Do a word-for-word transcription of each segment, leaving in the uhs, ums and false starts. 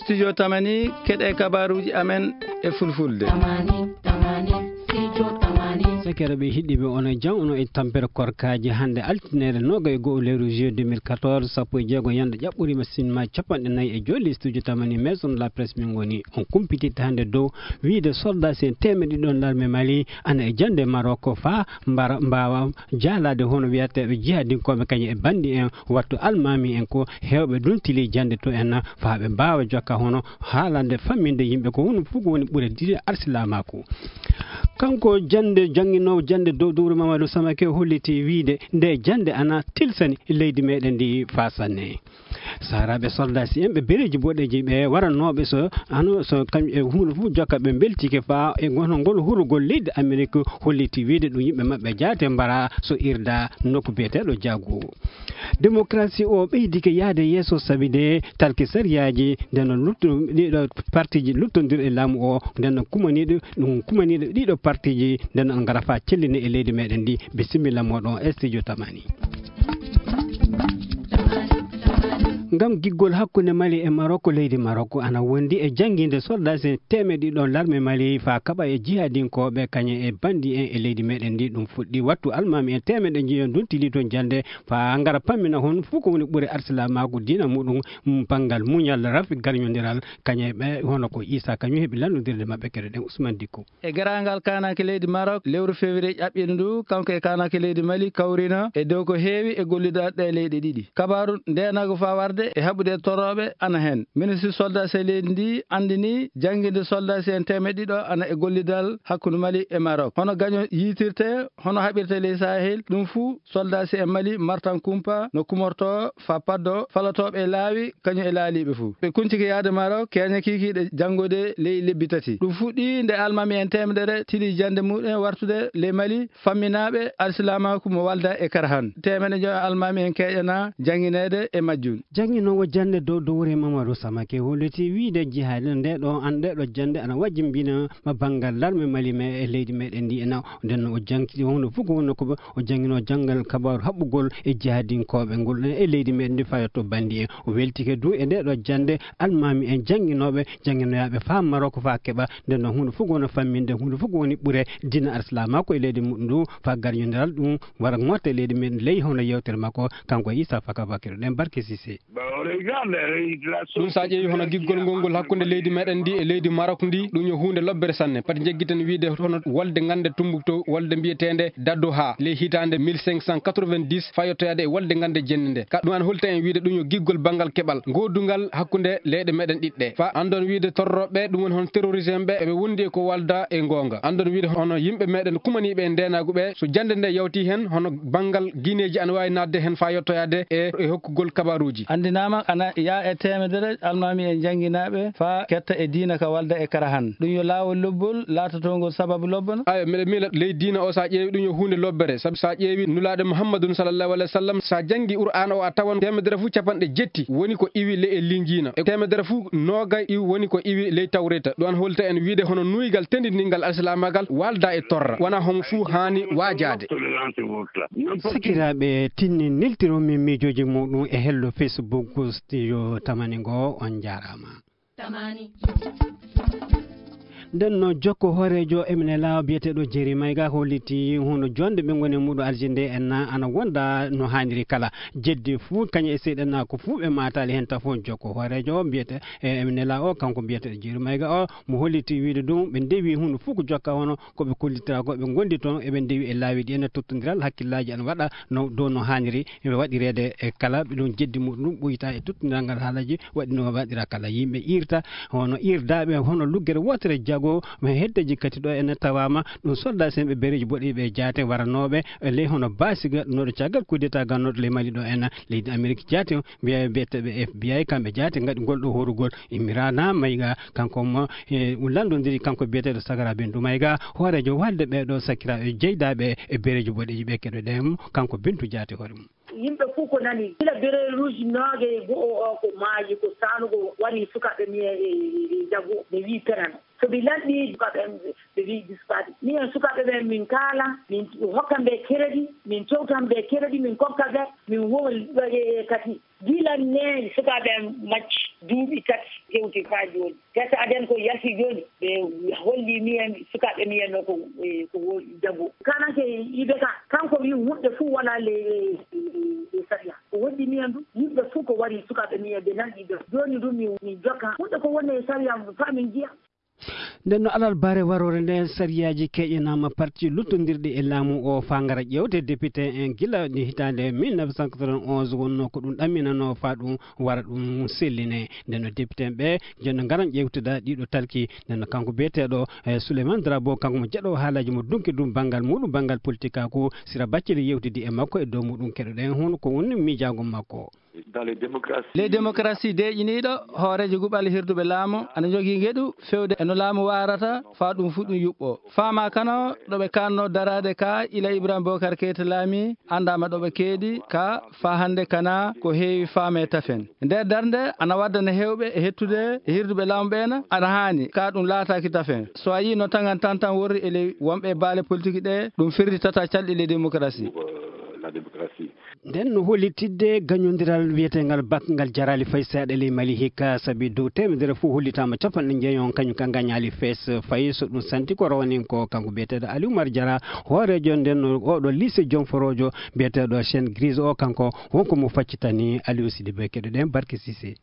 Studio Tamani, keɗe kabaruuji amen e fulfulde. Tamani, Tamani, Studio Tamani. Sakiraɓe hiɗɗiɓe, on e jam, on e tampere korkaaji. Hannde altine noogay e go'o lewru juillet deux mille quatorze, sappo e jeego ñande ƴaɓɓoriima sinma capanɗe nayi e joolli. Studio Tamani, maison de la presse min ngoni. On kumpititta hannde dow wiide soldat si en teemeɗe ɗiɗo larme Mali ana e jande Maroc faa mbara, mbaawa jaalaade hono wiyateeɓe jihadinkooɓe kañum e banndi en wattu almaami en ko heewɓe duntili jannde to en, faa ɓe mbaawa jokka hono haalande famminde yimɓe ko honɗum fof ko woni ɓure diine arsilaamaaku. Kanko jannde jannginoowo jannde dow dowru Mamadou Samake holliti wiide nde jannde ana tilsani leydi meɗen ndi faa sanne. Saaraaɓe soldat si en ɓe bereeji boɗeeji ɓe waranooɓe so ano so kam e huunde fof jokka ɓe mbeltike faa e ngono ngol hurugol leydi Amerik holliti wiide ɗum yimɓe maɓɓe jaate mbara so irda nokku biyeteeɗo Jaago. Démocratie o ɓeydike yahde yeeso sabi de talki sariyaaji nde no luttu ɗiɗo partiji luttondirɗi laamu o nde no kumaniiɗo ɗum kumaniiɗo ɗiɗo partiji nde no ngara faa celline e leydi meɗen ndi. Bisimilla moɗon e studio Tamani. Ngam giggol hakkunde Mali e Maroko, leydi Maroko ana wondi e janngiinde soldat si teemeɗe ɗiɗo larme Mali faa kaɓa e jihadinkooɓe kañe e banndi en e leydi meɗen ndi. Ɗum fuɗɗi wattu almaami en teemeɗe njiyon duntili toon jannde faa ngara pammina hon fof ko woni ɓure arsilaamaaku diina muɗum, mm, banngal muñal rafi garñondiral kañe ɓe hono ko Issa kañum heɓi lanndodirde maɓɓe keɗoɗen Ousmane Dicko. E garaangal kaananke leydi Maroc, lewru février ƴaɓɓiiɗo ndu, kanko e kaananke leydi Mali kawrino e dow ko heewi e gollidal ɗe leyɗe ɗiɗi. Kabaaru ndeenaagu faa warde e haɓude e torrooɓe ana heen. Ministre soldat si leydi ndi anndini jannginde soldat si en teemeɗe ɗiɗo ana e gollidal hakkunde Mali e Maroc. Hono gaño yiitirte, hono haɓirte ley Sahel, ɗum fuu soldat si en Mali martan kumpa no kumorto faa paddo falotooɓe e laawi kañum e laaliiɓe fuu. Ɓe kuncike yahde Maroc, keeña kiikiiɗe janngude ley lebbi tati. Ɗum fuɗɗii nde almaami en teemedere tili jannde muɗum wartude ley Mali, famminaaɓe alsilaamaaku mo Walda e Karahan. Teemeɗe joyo almaami en keeƴana janngineede e majjum. Jannginoowo jannde dow dowre Mamadou Samake holliti wiide jihaade nde ɗo an nde ɗo jannde ana wajjimbina ma banngal larme Mali me e leydi meɗen ndi e naw. Nden no o jangti hono fof ko wonno ko o jannginoo janngal kabaaru haɓɓugol e jihadinkooɓe ngol e leydi meɗen ndi fayotto banndi en. O weltike du e nde ɗo jannde almaami en jannginooɓe, jannginoyaaɓe faa Maroko faa keɓa. Nden noon huunde fof ko woni famminde, huunde fof ko woni ɓure diina Arsilaamaaku e leydi muɗum ndu faa garñondiral ɗum wara ŋotta e leydi men ley hono yewtere makko, kanko e Issa Faka Bakiro ɗen Barke Sise. Ɗum so a ƴeewi hono giggol ngol ngol hakkunde leydi meɗen ndi e leydi Marok ndi, ɗum yo huunde lobbere sanne. Pati njeggiten wiide hono wolde ngannde Tumbuktu, wolde mbiyeteende Dadduha ley hitaande mille cinq cent quatre-vingt-dix fayottoyaade e wolde ngannde jenne nde. Ka ɗum an holta en wiide ɗum yo giggol banngal keɓal ngoodungal hakkunde leyɗe meɗen ɗiɗɗe. Fa anndon wiide torroɓe ɗum woni hono terrorisme ɓe, eɓe wondi e ko walda e ngoonga. Anndon wiide hono yimɓe meɗen kumaniiɓe e ndeenaagu ɓe, so jannde nde yawti heen, hono banngal gineeji ana waawi naatde heen faa yottoyaade e, e hokkugol kabaaruuji. Anndinaama ana yaa e teemedere almaami en jannginaaɓe faa ketta e diina ka walda e Karahan. Ɗum yo laawol lobbol laatatongol sababu lobbono. Ayo, miɗa miila ley diina o, so a ƴeewi ɗum yo huunde lobbere. Sabu so a ƴeewi Nulaaɗo Muhammadun sallallahu alaihi wasallam, so a janngi Qur'aana o a tawan teemedere fof capanɗe jetti woni ko iwi ley e Linjiina. E teemedere fof noogay iwi woni ko iwi ley Tawreeta. Ɗum an holta en wiide hono nuuygal tendindingal Alsilaamaagal walda e torra. Wona homo fuu haani waajaade. Sakiraaɓe, tinni neltiro min miijooji muɗum e hello Facebook Studio Tamani ngo. On njaaraama. Tamani. Nden no jokko hooreejo M N L A o biyeteeɗo Jerry Mayga holliti hono jonde ɓe ngoni e muɗum Algérie nde en na ana wonda no haaniri kala. Jeddi fuu kañum e seyɗanaaku fuu ɓe maataali heen tafo. Jokko hooreejo o mbiyete e M N L A o, kanko mbiyeteeɗo Jerry Mayga o, mo holliti wiide ɗum ɓe ndewi huunde fuu ko jokka hono ko ɓe kollitira ko ɓe ngondi toon eɓe ndewi e laawi ɗi ene tottondiral hakkillaaji ana waɗa no dow no haaniri e waɗireede e kala ɓe ɗum jeddi muɗum ɗum ɓoyta e tottondiral ngal haalaji waɗi no waɗira kala yimɓe irta hono irdaaɓe hono luggere wootere jago heddeji kadi ɗo ene tawaama ɗum soldat sen ɓe bereji boɗeeɓe jaate waranooɓe e ley hono baasiga noɗo caggal kudeta gannooɗo ley Mali ɗo ena leydi Amerik jaate mbiya biyeteeɓe F B I kamɓe jaate ngaɗi ngol ɗo horugol Imrana Mayga kanko mo e lanndondiri kanko biyeteeɗo Sagara Bintu Mayga hooreejo walde ɓeeɗo sakiraaɓe jeydaaɓe e bereeji boɗeeji ɓe keɗoɗen kanko Bintu jaate hoore mum. Yimɓe fof ko nani gila bereeji rouge nooge e go'o o ko maayi ko saanugo wari sukaaɓe mi e jago ɓe wii penano. So mi lanɗii, sukaaɓe am ɓe wiy dispaaɗi. Minen sukaaɓe ɓen, min kaala, min hokkan ɓe keredi, min towtan ɓe keredi, min kokka ɓe, min wowa ɓe kadi. Gila neen sukaaɓe am macci duuɓi tati hewti faa jooni. Gasa aden ko yalti jooni, ɓe holli minen sukaaɓe minen no ko, e, ko woodi jabu. Kananke yiɓe ka, kanko wi hunde fuu wala le, le, le sariya. Ko woɗɗi minen du, yimɓe fuu ko wari sukaaɓe minen ɓe nanɗi ɓe. Jooni du min, min jokka hunde ko woni e sariya faa min njiya. Nden no alal bare waroore nden, sariyaaji keƴanaama parti luttondirɗi e laamu o faa ngara ƴeewte député en gila nde hitaande mille neuf cent quatre-vingt-onze wonnoo ko ɗum ɗamminanoo faa ɗum wara ɗum selline. Nden no député en ɓe jonno ngaran ƴeewtuda ɗiɗo talki. Nden no kanko biyeteeɗo, eh, Souleymane Drabo, kanko mo jeɗo haalaaji mo dunki ɗum banngal muɗum, banngal politikaaku, Sira Baccili yewtidi e makko e dow muɗum. Keɗoɗen hono ko woni miijaango makko. Dans les démocraties. Les démocraties deeƴiniiɗo hooreejo guɓal hirduɓe laamu ana jogii ngeɗu fewde e no laamu waarata faa ɗum fuu ɗum yuɓɓo. Faamaa kana ɗo ɓe kaanno daraade ka ila Ibrahima Bokar Keita laami anndaama ɗo ɓe keedi ka faa hannde kana ko heewi faamee tafen. Nder darnde ana waddana heewɓe e hettude e hirduɓe laamu ɓeena ana haani ka ɗum laataaki tafen. So a yii no taŋan tantan worri e ley wonɓe e baale politik ɗe ɗum firlitata calɗi les démocraties. Pour, euh, la démocratie. Nden no hollitidde gañondiral wiyeteengal bak ngal jaraali fay seeɗa ley Mali hikka, sabi dow teemedere fof hollitaama capanɗe njeeyon kañum ka ngañaali fees fay so ɗum santi ko rawanin ko kanko biyeteeɗo Ali Oumar Diarra, hooreejo nden no oɗo lycée Jom Forojo biyeteeɗo Chaîne Grise o, kanko wonko mo faccitani Aliou Sidibé. Keɗoɗen Barke Cissé.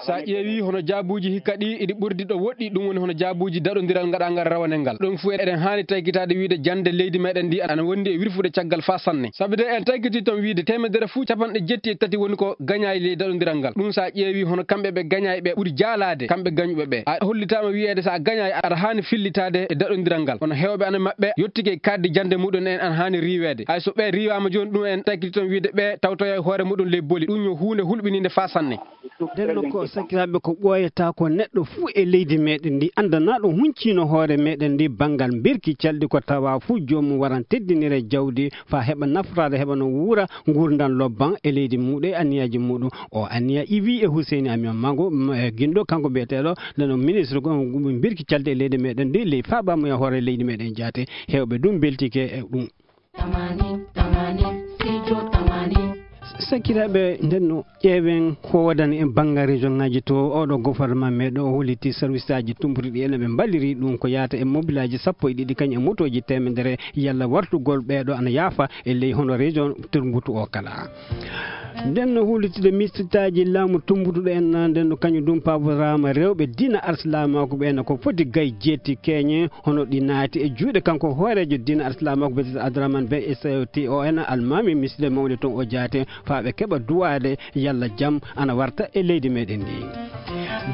Sa ƴeewi hono jaabuuji hikka ɗi iɗi ɓurdi ɗo woɗɗi, ɗum woni hono jaabuuji daɗondiral ngaɗangal rawane ngal. Ɗum fof eɗen haani taykitaade wiide jannde leydi meɗen ndi ana wondi e wirfude caggal faa sanne. Sabi de en taykiti toon wiide teemedere fof capanɗe jetti e tati woni ko gañaay ley daɗondiral ngal. Ɗum sa ƴeewi hono kamɓe ɓe gañaay ɓe ɓuri jaalaade, kamɓe gañuɓe ɓe. A hollitaama wiyeede sa gañaay aɗa haani fillitaade e daɗondiral ngal. Kono heewɓe ana maɓɓe yottike kaaddi jannde muɗum en ana haani riiweede. Hay so ɓe riiwaama jooni ɗum en taykiti toon wiide ɓe tawtoya e hoore muɗum ley boli. Ɗum yo huunde hulɓiniinde faa sanne. Nden no ko sakiraaɓe ko ɓooyata ko neɗɗo fuu e leydi meɗen ndi anndanaaɗo hunciino hoore meɗen ndi banngal mbirki calɗi ko tawa fuu joomum waran teddinire jawdi faa heɓa nafraade heɓa no wuura nguurndam lobban e leydi muɗum e anniyaaji muɗum. O anniya iwi e Huseyni Amion Mango, m-, e ginɗo kanko biyeteeɗo nden no ministre ko mbirki calɗi e leydi meɗen ndi ley faabamuya hoore leydi meɗen jaate. Heewɓe ɗum mbeltike e ɗum. Tamani, tamani, sijo tamani. Sakiraaɓe, nden no ƴeewen ko waɗani en banngal région ŋaaji to. Oɗo gouvernement meɗo o holliti service aji tumbutuɗi en ɓe mballiri ɗum ko yaata e mobilaaji sappo e ɗiɗi kañum e motooji teemedere yalla wartugol ɓeeɗo ana yaafa e ley hono région tumbutu o kala. Nden no huulitude mistitaaji laamu tumbutuɗo en na, nden no kañum ɗum paboraama rewɓe diina arsilaamaaku ɓe na ko foti gay jeetti keñe, hono ɗi naati e juuɗe kanko hooreejo diina arsilaamaaku biyeteeɗo Abdourahmane Ben Issayoti o en almaami misde mawde toon o jaate faa ɓe keɓa duwaade yalla jam ana warta e leydi meɗen ndi.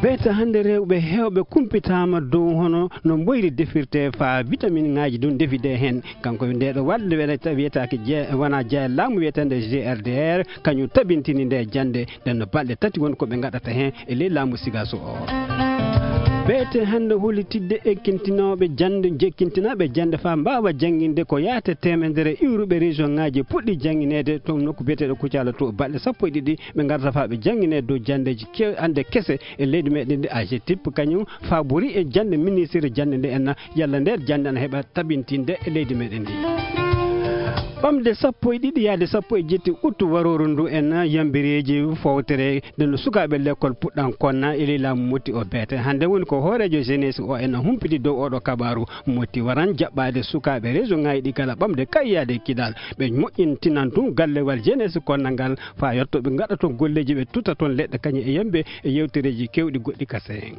Beeta hannde rewɓe heewɓe kumpitaama dow hono no mboyri defirte faa vitamine ŋaaji ɗum ndefide heen. Kanko nde ɗo waɗde wiyetaake je-, wona jeya laamu wiyeteende G R D R, kañum tabintini nde jannde, nden no balɗe tati woni ko ɓe ngaɗata heen e ley laamu Sigaso o. Beete hannde hollitidde ekkintinooɓe jannde, jekkintinaaɓe jannde faa mbaawa jannginde ko yaate teemedere iwruɓe région ŋaaji puɗɗi janngineede to nokku biyeteeɗo Kucala to balɗe sappo e ɗiɗi ɓe ngarata faa ɓe janngine dow janndeeji kew-, annde kese e leydi meɗen ndi. A G T I P kañum faabori e jannde ministre jannde nde en yalla nde jannde ana heɓa tabintinde e leydi meɗen ndi. Ɓamde sappo e ɗiɗi yaade sappo e jetti uttu warooru ndu en yambireeji fowtere nde no sukaaɓe lekkol puɗɗan konna e ley laamu motti o beete. Hannde woni ko hooreejo jeunesse o en humpiti dow oɗo kabaaru motti waran jaɓɓaade sukaaɓe région ŋaaji ɗi kala ɓamde kayyaade kidal. Ɓe moƴƴintinan tun gallewal jeunesse konna ngal faa yotto ɓe ngaɗa toon golleeji ɓe tuta toon leɗɗe kañum e yambe e yewtereeji kewɗi goɗɗi kase.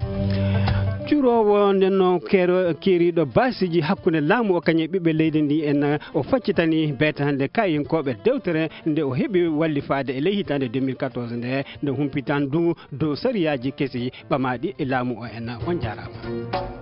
Curoowo nden no keero-, keeriiɗo baasiiji hakkunde laamu o kañum e ɓiɓɓe leydi ndi en o faccitani beete hannde kayinkooɓe dewtere nde o heɓi wallifaade e ley hitaande deux mille quatorze nde, nde humpitan du dow sariyaaji kesi ɓamaaɗi e laamu o en. On jaaraama.